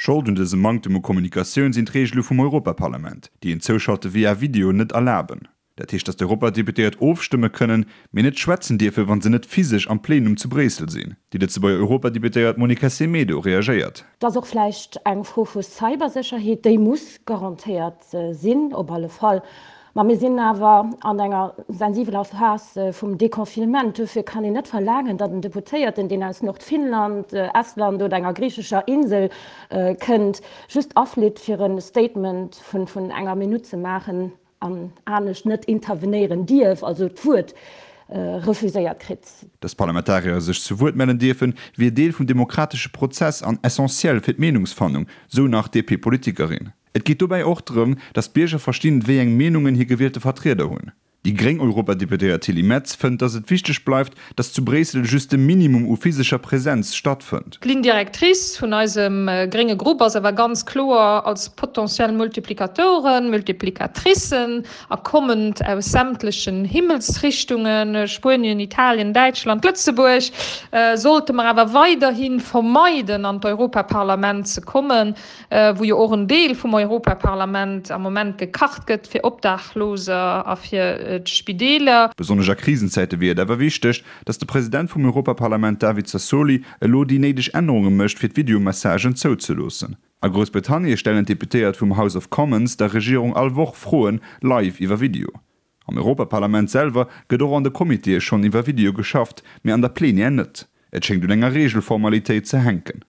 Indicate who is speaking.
Speaker 1: Schold un dësem Manktem u Kommunikatioun sinn d'Reegele vum Europaparlament, déi en Zouschalte via Video net erlaben. Dat heescht, datt d'Europadeputéiert ofstëmme kënnen, mee net schwätzen dierfen, wa se net physesch am Plenum zu Bréissel sinn. Déi Lëtzebuerger Europadeputéiert Monica Semedo reagéiert.
Speaker 2: Et ass och vläicht eng Fro vu Cybersécherheet, déi muss garantéiert sinn, op alle Fall. Ma mir sinn awer an enger sensibeler Phas vum Deconfinement. Duerfir kann een net verlaangen, datt en Deputéierten, deen aus Nordfinnland, Estland oder enger griichescher Insel kënnt, just aflitt, fir e Statement vun enger Minutt ze maachen. an anescht net intervenéieren dierf, also d'Wuert refuséiert kritt.
Speaker 1: Datt d'Parlamentarier sech zu Wuert mellen dierfen, wier Deel vum demokratesche Prozess an essentiell fir d'Meenungsfannung, sou nach d'DP-Politikerin. Et geet dobäi och drëm, datt d'Bierger verstinn, wéi eng Meenungen hir gewielte Vertrieder hunn. Déi gréng Europadeputéiert Tilly Metz fënnt, datt et wichteg bleift, datt zu Bréissel just de Minimum u physescher Presenz stattfënnt.
Speaker 3: D'Ligne directrice vun eisem grénge Grupp ass awer ganz kloer, als potentiell Multiplikatoren, Multiplikatricen a kommend aus sämtlechen Himmelsrichtungen, Spuenien, Italien, Däitschland, Lëtzebuerg, sollte mer awer weiderhi vermeiden an d'Europaparlament ze kommen, wou jo och en Deel vum Europaparlament am Moment gekacht gëtt fir Obdachloser a fir d'Spideeler.
Speaker 1: Besonnesch a Krisenzäite wier et awer wichteg, datt de President vum Europaparlament David Sassoli elo déi néideg Ännerunge mécht, fir d'Videomessagen zouzeloossen. A Groussbritannie stellen d'Deputéiert vum House of Commons der Regierung all Woch Froen live iwwer Video. Am Europaparlament selwer gëtt och an de Comitéë schonn iwwer Video geschafft, mee an der Plenière net. Et schéngt un enger Reegelformalitéit ze hänken.